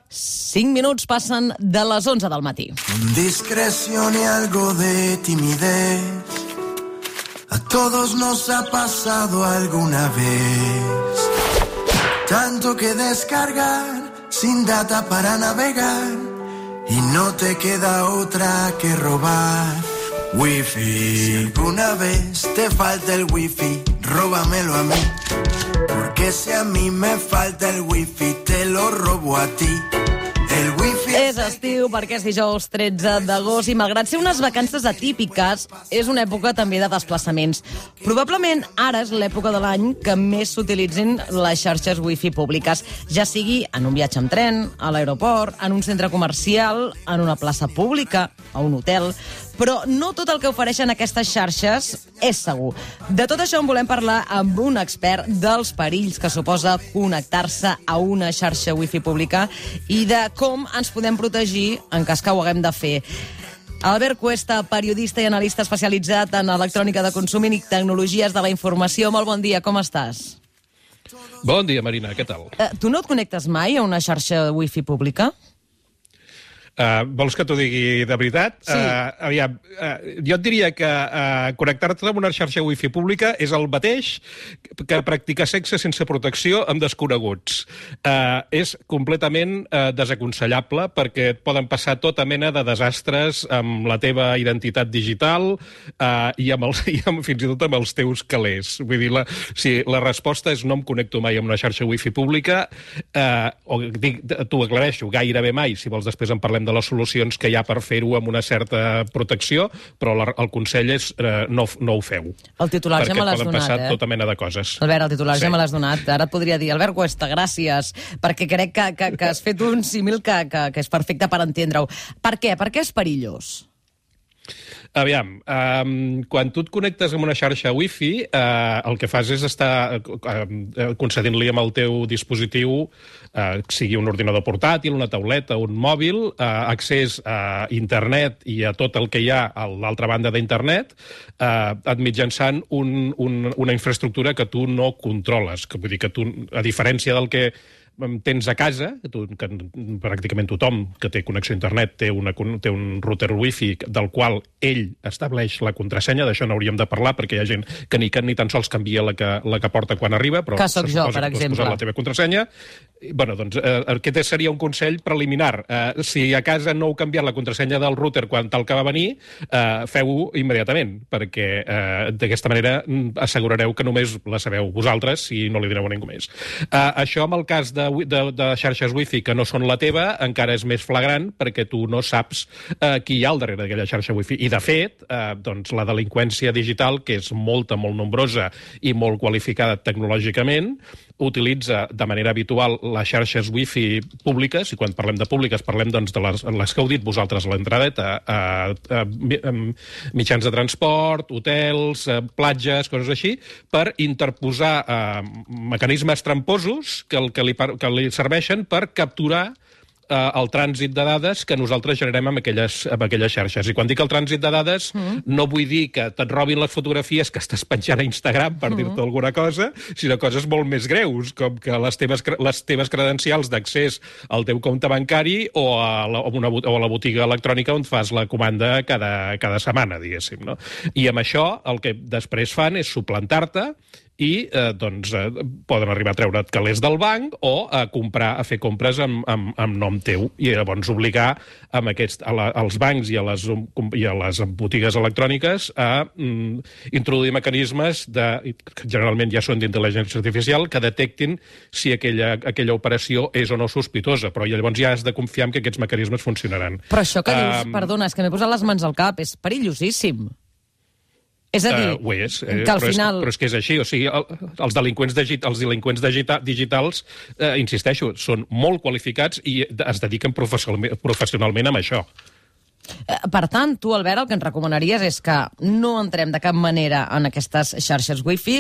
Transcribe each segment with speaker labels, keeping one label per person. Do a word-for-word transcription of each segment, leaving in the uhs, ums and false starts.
Speaker 1: cinc minuts passen de les onze del matí.
Speaker 2: Discreción y algo de timidez. A todos nos ha pasado alguna vez. Tanto que descargar, sin data para navegar, y no te queda otra que robar. Wifi, una vez te falta el wifi, róbamelo a mí. Porque si a mí me falta el wifi, te lo robo a ti. El wifi
Speaker 1: és estiu perquè és dijous tretze d'agost i malgrat ser unes vacances atípiques, és una època també de desplaçaments. Probablement ara és l'època de l'any que més s'utilitzin les xarxes wifi públiques, ja sigui en un viatge amb tren, a l'aeroport, en un centre comercial, en una plaça pública, a un hotel. Però no tot el que ofereixen aquestes xarxes és segur. De tot això en volem parlar amb un expert dels perills que suposa connectar-se a una xarxa wifi pública i de com ens podem protegir en cas que ho haguem de fer. Albert Cuesta, periodista i analista especialitzat en electrònica de consum i tecnologies de la informació. Molt bon dia, com estàs?
Speaker 3: Bon dia, Marina, què tal?
Speaker 1: Uh, tu no et connectes mai a una xarxa wifi pública?
Speaker 3: Uh, vols que t'ho digui de veritat?
Speaker 1: Sí.
Speaker 3: Uh, aviam, uh, jo et diria que uh, connectar-te amb una xarxa wifi pública és el mateix que practicar sexe sense protecció amb desconeguts. Uh, és completament uh, desaconsellable perquè et poden passar tota mena de desastres amb la teva identitat digital uh, i, amb els, i amb, fins i tot amb els teus calés. Vull dir, la, si la resposta és no em connecto mai amb una xarxa wifi pública, uh, o dic, t'ho aclareixo, gairebé mai, si vols després en parlem de les solucions que hi ha per fer-ho amb una certa protecció, però la, el consell és eh, no, no ho feu.
Speaker 1: El titular ja me l'has donat, eh?
Speaker 3: Perquè poden passar tota mena de coses.
Speaker 1: Albert, el titular
Speaker 3: sí.
Speaker 1: ja me l'has donat. Ara et podria dir, Albert Cuesta, gràcies, perquè crec que, que, que has fet un símil que, que, que és perfecte per entendre-ho. Per què? Per què és perillós?
Speaker 3: Aviam, um, quan tu et connectes amb una xarxa wifi, uh, el que fas és estar uh, concedint-li amb el teu dispositiu, uh, sigui un ordinador portàtil, una tauleta, un mòbil, uh, accés a internet i a tot el que hi ha a l'altra banda d'internet, uh, mitjançant un, un, una infraestructura que tu no controles. Que vull dir que tu, a diferència del que tens a casa, que, tu, que pràcticament tothom que té connexió a internet té, una, té un router wifi del qual ell estableix la contrasenya, d'això n'hauríem de parlar perquè hi ha gent que ni, que ni tan sols canvia la que, la que porta quan arriba, però
Speaker 1: que sóc jo, per
Speaker 3: que
Speaker 1: exemple.
Speaker 3: la teva contrasenya. Bueno, doncs eh, aquest seria un consell preliminar. Eh, si a casa no heu canviat la contrasenya del router quan tal que va venir, eh, feu-ho immediatament, perquè eh, d'aquesta manera assegurareu que només la sabeu vosaltres i no li direu a ningú més. Eh, això amb el cas de De, de, de xarxes wifi que no són la teva, encara és més flagrant perquè tu no saps eh, qui hi ha al darrere d'aquella xarxa wifi. I, de fet, eh, doncs, la delinqüència digital, que és molta, molt nombrosa i molt qualificada tecnològicament, utilitza de manera habitual les xarxes wifi públiques, i quan parlem de públiques parlem doncs, de les, les que heu dit vosaltres a l'entradeta, eh, eh, mitjans de transport, hotels, eh, platges, coses així, per interposar eh, mecanismes tramposos que el que li que li serveixen per capturar eh, el trànsit de dades que nosaltres generem amb aquelles, amb aquelles xarxes. I quan dic el trànsit de dades, mm. no vull dir que te't robin les fotografies que estàs penjant a Instagram per mm. dir-te alguna cosa, sinó coses molt més greus, com que les teves, les teves credencials d'accés al teu compte bancari o a la, una, o a la botiga electrònica on fas la comanda cada, cada setmana, diguéssim. No? I amb això el que després fan és suplantar-te i eh, doncs, eh, poden arribar a treure't calés del banc o a comprar, a fer compres amb, amb, amb nom teu i llavors obligar amb aquest, a la, als bancs i a, les, i a les botigues electròniques a mm, introduir mecanismes de, que generalment ja són d'intel·ligència artificial, que detectin si aquella, aquella operació és o no sospitosa, però llavors ja has de confiar en que aquests mecanismes funcionaran.
Speaker 1: Però això que dius,
Speaker 3: um,
Speaker 1: perdona, és que m'he posat les mans al cap, és perillosíssim. És a dir,
Speaker 3: uh, és, eh,
Speaker 1: que al
Speaker 3: però
Speaker 1: final...
Speaker 3: És, però és que és així, o sigui, el, els delinqüents, digit, els delinqüents digita, digitals, eh, insisteixo, són molt qualificats i es dediquen professionalment, professionalment amb això.
Speaker 1: Per tant, tu, Albert, el que ens recomanaries és que no entrem de cap manera en aquestes xarxes wifi,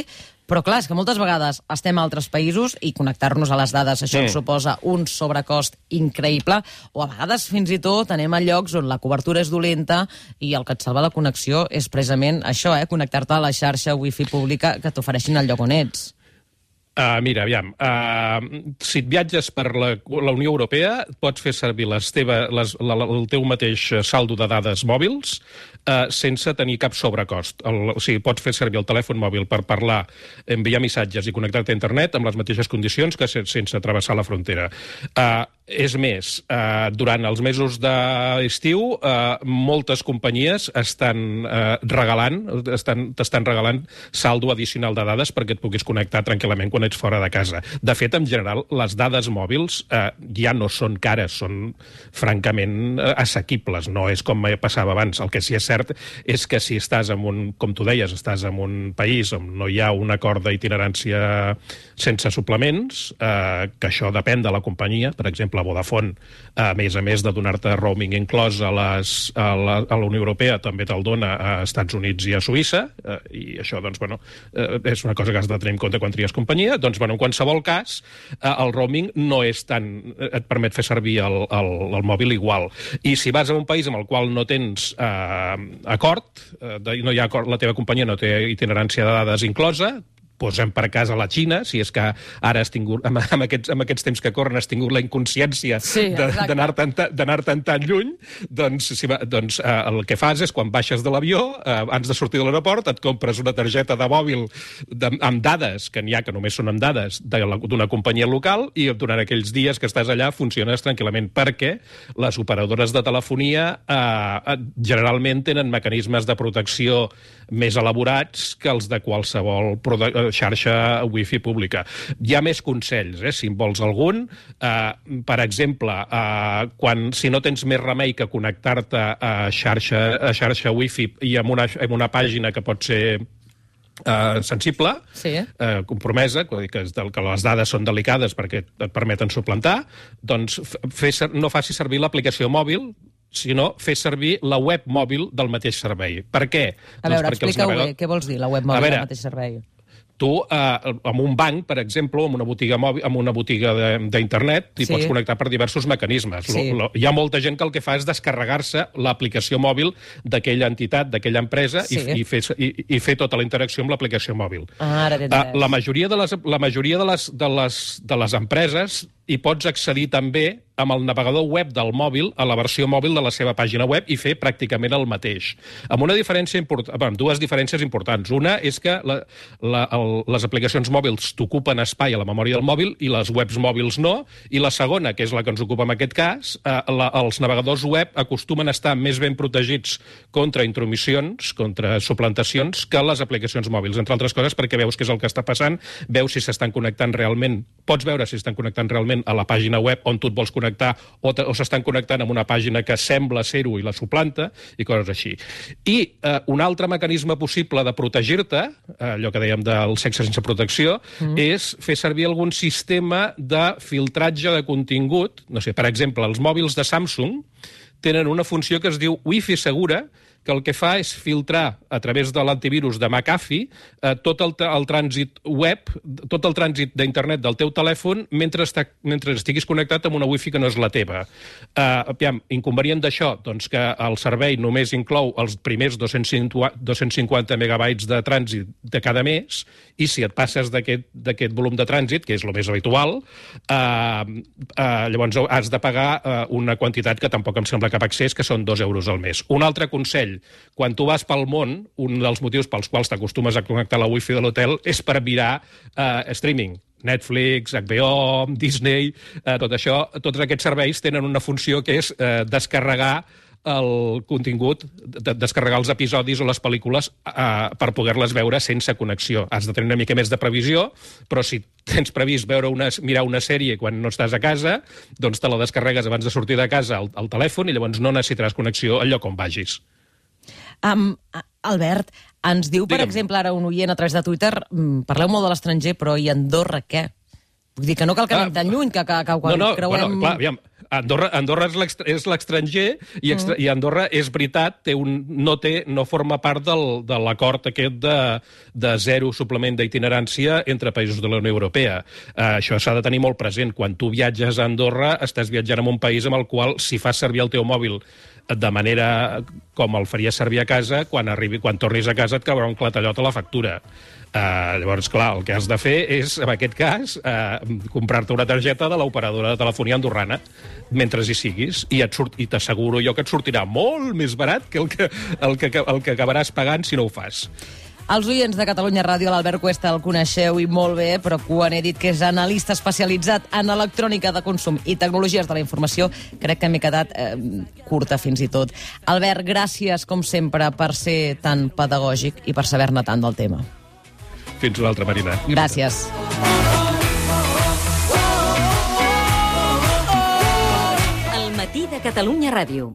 Speaker 1: però clar, és que moltes vegades estem a altres països i connectar-nos a les dades, això ens suposa un sobrecost increïble, o a vegades fins i tot anem a llocs on la cobertura és dolenta i el que et salva la connexió és precisament això, eh, connectar-te a la xarxa wifi pública que t'ofereixin al lloc on ets.
Speaker 3: Uh, mira, aviam, uh, si et viatges per la, la Unió Europea, pots fer servir les teva, les, la, el teu mateix saldo de dades mòbils uh, sense tenir cap sobrecost. El, o sigui, pots fer servir el telèfon mòbil per parlar, enviar missatges i connectar-te a internet amb les mateixes condicions que sense travessar la frontera. Uh, és més, uh, durant els mesos d'estiu, uh, moltes companyies estan uh, regalant, estan, t'estan regalant saldo addicional de dades perquè et puguis connectar tranquil·lament quan ets fora de casa. De fet, en general, les dades mòbils eh, ja no són cares, són francament eh, assequibles, no és com passava abans. El que sí és cert és que si estàs en un, com tu deies, estàs en un país on no hi ha un acord d'itinerància sense suplements, eh, que això depèn de la companyia, per exemple, Vodafone, a més a més de donar-te roaming inclòs a, les, a, la, a la Unió Europea, també te'l dona a Estats Units i a Suïssa, eh, i això, doncs, bueno, eh, és una cosa que has de tenir en compte quan tries companyia. Doncs, bueno, en qualsevol cas, eh, el roaming no és tan... et permet fer servir el, el, el mòbil igual. I si vas a un país amb el qual no tens eh, acord, eh, de, no hi ha acord, la teva companyia no té itinerància de dades inclosa, posem per cas a la Xina, si és que ara has tingut, amb, amb, aquests, amb aquests temps que corren has tingut la inconsciència sí, d'anar tan, tan, tan lluny, doncs, si va, doncs eh, el que fas és, quan baixes de l'avió, eh, abans de sortir de l'aeroport, et compres una targeta de mòbil de, amb dades, que n'hi ha que només són amb dades, d'una companyia local, i durant aquells dies que estàs allà funciones tranquil·lament, perquè les operadores de telefonia eh, generalment tenen mecanismes de protecció més elaborats que els de qualsevol xarxa wifi pública. Hi ha més consells, eh, si en vols algun. Eh, per exemple, eh, quan, si no tens més remei que connectar-te a xarxa, a xarxa wifi i amb una, amb una pàgina que pot ser Uh, sensible, sí. uh, compromesa, que, que les dades són delicades perquè et permeten suplantar, doncs fer, no faci servir l'aplicació mòbil, sinó fer servir la web mòbil del mateix servei. Per què?
Speaker 1: A veure, doncs explica-ho navegadors... bé, què vols dir, la web mòbil veure, del mateix servei?
Speaker 3: Tu, eh, amb un banc, per exemple, o amb una botiga, mòbil, amb una botiga d'internet, t'hi sí. pots connectar per diversos mecanismes. Sí. Lo, lo, hi ha molta gent que el que fa és descarregar-se l'aplicació mòbil d'aquella entitat, d'aquella empresa, sí. i, i, fer, i, i fer tota la interacció amb l'aplicació mòbil.
Speaker 1: Ah, ara
Speaker 3: uh, la majoria de les, la majoria de les, de les, de les empreses hi pots accedir també amb el navegador web del mòbil a la versió mòbil de la seva pàgina web i fer pràcticament el mateix. Amb una diferència important, amb dues diferències importants. Una és que la, la, el, les aplicacions mòbils t'ocupen espai a la memòria del mòbil i les webs mòbils no. I la segona, que és la que ens ocupa en aquest cas, eh, la, els navegadors web acostumen a estar més ben protegits contra intromissions, contra suplantacions, que les aplicacions mòbils. Entre altres coses, perquè veus què és el que està passant, veus si s'estan connectant realment, pots veure si estan connectant realment a la pàgina web on tu et vols connectar o, o s'estan connectant amb una pàgina que sembla ser-ho i la suplanta i coses així. I eh, un altre mecanisme possible de protegir-te, eh, allò que dèiem del sexe sense protecció, mm. és fer servir algun sistema de filtratge de contingut. No sé, per exemple, els mòbils de Samsung tenen una funció que es diu Wi-Fi segura, que el que fa és filtrar a través de l'antivirus de McAfee eh, tot el, el trànsit web, tot el trànsit d'internet del teu telèfon mentre, està, mentre estiguis connectat amb una wifi que no és la teva. Eh, aviam, inconvenient d'això, doncs que el servei només inclou els primers dos-cents cinquanta megabytes de trànsit de cada mes, i si et passes d'aquest volum de trànsit, que és el més habitual, eh, eh, llavors has de pagar eh, una quantitat que tampoc em sembla cap accés, que són dos euros al mes. Un altre consell: quan tu vas pel món, un dels motius pels quals t'acostumes a connectar a la wifi de l'hotel és per mirar eh, streaming. Netflix, H B O, Disney, eh, tot això, tots aquests serveis tenen una funció que és eh, descarregar el contingut, de descarregar els episodis o les pel·lícules eh, per poder-les veure sense connexió. Has de tenir una mica més de previsió, però si tens previst veure una, mirar una sèrie quan no estàs a casa, doncs te la descarregues abans de sortir de casa al, al telèfon i llavors no necessitaràs connexió al lloc on vagis.
Speaker 1: Um, Albert, ens diu, per
Speaker 3: Digue'm.
Speaker 1: exemple, ara un oient a través de Twitter, parleu molt de l'estranger, però i Andorra què? Vull dir que no cal que anem ah, tan lluny, que, que, que quan
Speaker 3: no, no,
Speaker 1: creuem...
Speaker 3: Bueno, clar, aviam, Andorra, Andorra és l'estranger i, extra, mm. i Andorra, és veritat, té un, no, té, no forma part del, de l'acord aquest de, de zero suplement d'itinerància entre països de la Unió Europea. Uh, això s'ha de tenir molt present. Quan tu viatges a Andorra, estàs viatjant en un país amb el qual, si fas servir el teu mòbil de manera com el faries servir a casa, quan, arribi, quan tornis a casa et caurà un clatallot a la factura. Uh, llavors, clar, el que has de fer és, en aquest cas, uh, comprar-te una targeta de l'operadora de telefonia andorrana mentre hi siguis, i i t'asseguro jo que et sortirà molt més barat que el que, el que, el que acabaràs pagant si no ho fas.
Speaker 1: Els oients de Catalunya Ràdio, l'Albert Cuesta el coneixeu i molt bé, però quan he dit que és analista especialitzat en electrònica de consum i tecnologies de la informació, crec que m'he quedat eh, curta fins i tot. Albert, gràcies, com sempre, per ser tan pedagògic i per saber-ne tant del tema.
Speaker 3: Fins una altra, Marina.
Speaker 1: Gràcies.
Speaker 4: El matí de Catalunya Ràdio.